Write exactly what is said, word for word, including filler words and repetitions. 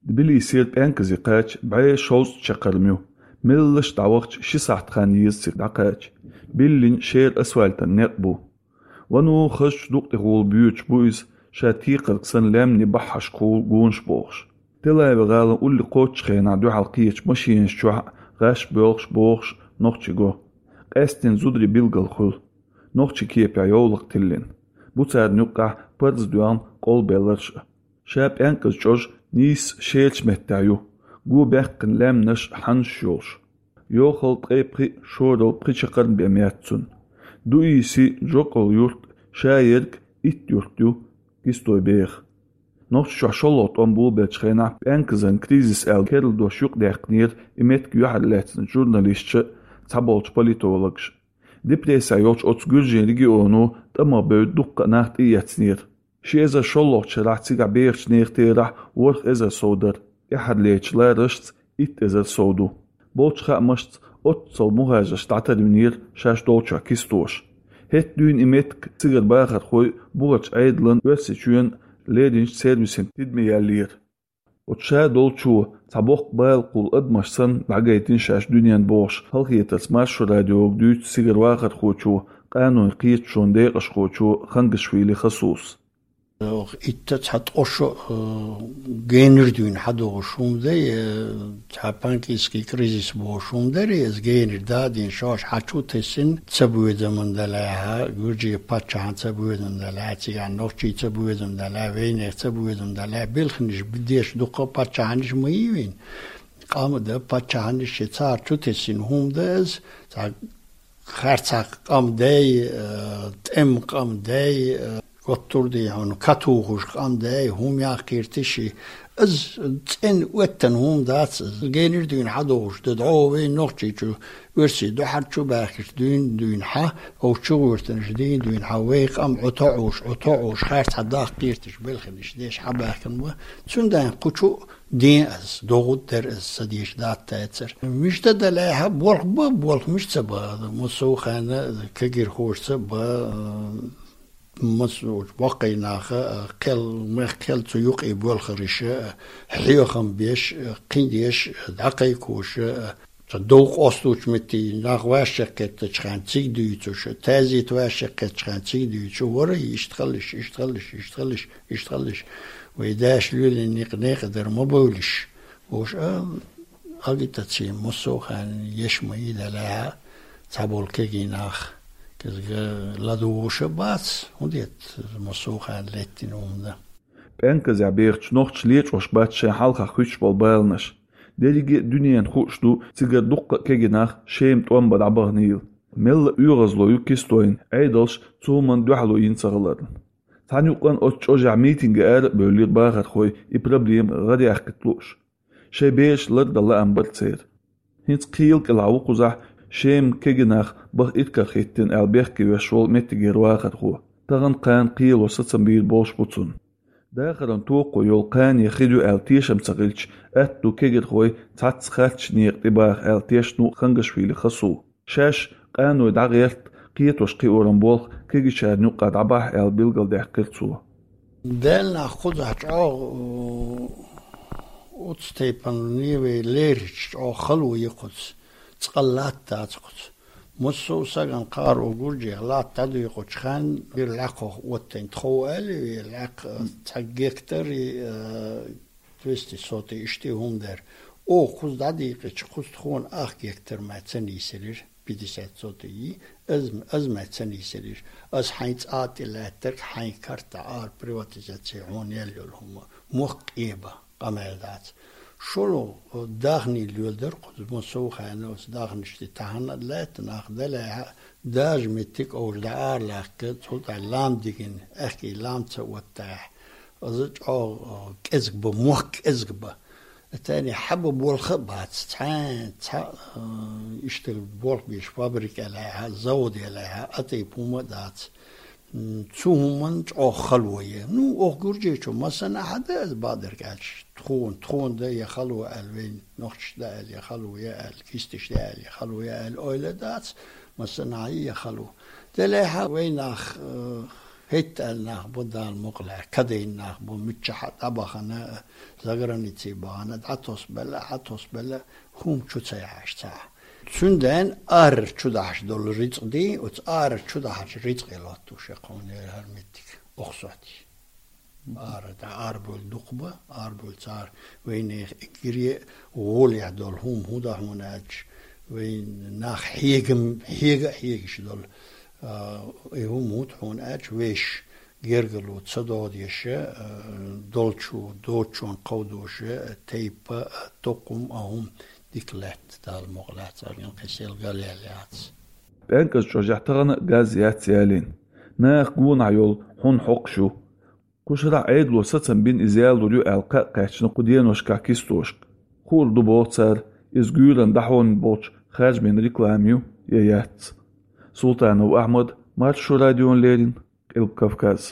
Тбилисера ПӀенказе кхача бӀе шовзткъа чакхарм ю. Меллаша дӀавахача ши сахьат хан еза цига дӀакхача. Биллина шера асфальтан некъ бу. Вано хазачу дукъ тӀехула боьдуш бу иза, ша текхарг санна лаьмнийн бахьашкахула гонаш бохуш. Тель-Авив-гӀалин улле кхоччучу хенахь дуьхьал кхечу машинаш чохь гӀаш боьлхуш бохуш нохчий го. Къаьсттина зударий билггал хуьлу. Нохчийн кепехь йовлакх тиллина. Бу царна юккъехь парза доьгӀна къовлабелларш а. Ша пӀенказ чӀожа нийсса шерачу меттехь ю, го баьккхина лаьмнаш, хьаннаш йолуш. Йохалла ткъе пхи, шоралла пхи чакхарм бен меттахь цунна. Дуиси, Джокол юрт, ша ерг итт юрт ю Кистойн беха. Нохчийчохь шолгӀа тӀом болабеллачу хенахь пӀенказан кризис аьлла керла дош юкъадаьккхинера и меттиг юьхьарлаьцначу журналисташа цхьаболчу политологаша. Депрессехь йолчу оцу гуьржийн регионо тӀамах бевдда дуккха а нах тӀеэцнера. Ши эзар шолгӀачу шарахь цигахь бехачу нехан терахь ворхӀ эзар сов дара, тӀаьххьарлечу ларашца итт эзар сов ду. Болчу хаамашца, оццул мухӀажарш дӀатарвинера шаьш долчохь Кистоша. ХӀетахь дуьйна и меттиг цигара бахархой бухарчу Ӏедалан, Оьрсийчоьнан леринчу сервисийн тидаме яьллера. Оцу ша долчо цхьа боккха балакъ волу адамаш санна дӀагайтина шаьш дуьненна бохуш, халахетарца Маршо радиога дуьйцу цигара вахархочо, къанойн кхеташонан декъашхочо Хангашвили Хасус. Итт а цхьа ткъа шо, э, генара дуьйна хьадогӀуш хӀума дай, э, цхьа панкийский кризис бохуш хӀума дарий, иза генара дадийна шаьш хьачу тесина, цабоьзаман далахьа, гуьржийн паччахьан цабоьзам далахьа, цигахь нохчийн цабоьзам далахьа, вайнехан цабоьзам далахьа, белханаш деш дуккха а паччахьанаш ма йий вайн. Къам а дан, паччахьанаш а, цара чу тесина хӀума дан иза, цхьа харцахь къам дай, э, тӀеман къам дай, э, готтур дай хьуна, катухуш къам дай, хӀума яккхийра тиши. Иза цӀена оьттина хӀума дац иза. Генара дуьйна хьадогӀуш дан дӀо вай Нохчийчу, Оьрсийн дуьхьара чу баьхкича дуьйна дуьйна хьа, оцу чугӀуьртанаш дийна дуьйна хьа, вай къам Ӏу тоӀуш, Ӏу тоӀуш, харцахь даккхийра тиши белханаш деш хьабаьхкина ма. Цундела кху чу ден ас, догӀу дара ас, ца деш дац тайцара. Мишта далахьа, болх ба, болх мишта ца ба, массо а хенахь кегирхошца ба, массо а баккхий наха, кхел, мех кхел цу юкъе болхариша, хьехам беш, кхин деш, дӀакхайкхоша, цхьа дов къостучу метте нах ваьшшеккхеттачу хенахь цига дуьйцуша, тезет ваьшшеккхеттачу хенахь цига дуьйцуша, вара иштта халлаш, иштта халлаш, иштта халлаш, иштта халлаш. Вай даьша лелийна некъ некъа дара ма бовлуш. Уж а агитаци массо а хенахь еш ма йий далахьа, цхьаболу кегий нах кӀезга ладугӀуша бац, хӀунда аьлча массо а хенахь леттина хӀума дан. ПӀенказехь бехачу нохчаша лечкъош бац шайн хьалха хуьттуш болу баланаш. Дерриге а дуьненна хууш ду, цигара дуккха а кегий нах Шема тӀом бан дӀабаханийла. Мелла а оьгӀазло ю Кистойн, Ӏедалша цу хӀуманна дуьхьало йина ца хиларна. Цхьана юкъанна оцу чӀожехь митинге ара а бевллера бахархой, и проблема гӀараяьккхийта лууш. Шайн бераш лардан лаам бара церан. ХӀинца кхелан кӀелахь ву кхузахь Шема кегий нах баха иракарахӀиттина аьлла бехке веш волу меттигера вахархо. Тахана кхана кхело сацам бийр болуш бу цунна. Дахаран токхо йолу кхане хир ю аьлла тешам ца хилча, атта ду кегирхой цхьацца харцачу некъа тӀебаха аьлла тешна ву Хангашвили Хасу. Шаьш къаной дӀагӀерта, кхетош кхиоран болх кегийчарна юккъехь дӀабахьа аьлла билгалдаьккхира цо. Делахь кхузахь чӀогӀа, у, оцу тайпана вай лерича чӀогӀа хало ю кхуьца, цкъа латта дац кхуьца. Массо а сагана кхара у Гуржех латта дӀадуьйкъучу хенна, бира лаькхох оттайн тхов аьлла, вай лаьккха цхьа гектар, э, двести сотый иштта хӀума дара. Оха кхуза дӀадийкъича, кхуза тхуна ах гектар май ца нийсалира, пятьдесят сотый, аз, аз май ца нийсалира. Аз хьайн цӀа тӀе лаьттарг, хьайн карта Ӏара приватизация хьуна яьлла йолу хӀума. Мохк къеба, къамел дац. ШолгӀа дахний лоьладара кхуза, массо а хенахь оцу дахнаш тӀе тахана а лаьтта нах далехьа, дажа меттиг а уьш дӀа ара лаьхка, цул тӀаьхьа лам дигина, аьхкий лам ца оттахь, аза чӀогӀа кӀезиг ба, мохк кӀезиг ба. Тани хьаба болх а бац, цхьа, цхьа, а, иштта болх беш фабрика лаьхьа, завод лаьхьа, а тайпа хӀума а дац. М, цу хӀуманна чӀогӀа хало е. Ну, оха Гуржечо массанхьа да аса бакъдерг аьлча, тхуна, тхуна да я хало аьлла, вайн нохчаш да аьлла, я хало я аьлла, кисташ да аьлла, я хало я аьлла, ойла дац, массанхьа я хало. Делехьа вай нах, э, ХӀетта аьлла нах бу, Дала мукъ лаьцна, кадайна нах бу, миччахьа дӀабахана, заграницей бахана, дӀатосбелла, хьатосбелла, хӀума чу ца яхьаш цхьа. Цунден ара чу дахьаш долу рицкъ ди, оцу ара чу дахьаш рицкъе лоттуш я кхуьнера хӀара меттиг, охсоти. Ара, да, ара болу дукха ба, ара болу цара вайнех иггире гӀолехь долу хӀума хӀун дан хьуна аьлча, вайн нах хьегам, хьега а хьегаш долу. А, и хӀума хӀун ду хьуна аьлча, вешан гергарло ца догӀу деша, а, долчу, доцчунна кховдоша, тайпа, а, тукхум, а хӀума дика лаьтта, Дала мукъ лаьцна, царна кхин сел гал ял яц. ПӀенказ чӀожехь тахана газ яц ялийна. Наха гонахь йолу хьун хьокхуш ю. Кхушара Ӏедало сацам бина иза ялур ю аьлла кхаъ кхаьчна кху деношкахь кистошка. Хуур ду боху цара, иза гуьйранна дӀахьонан болчу харжамийн реклама ю я яц. Султанов Ахьмад, Маршо радиона леррина, Къилба Кавказ.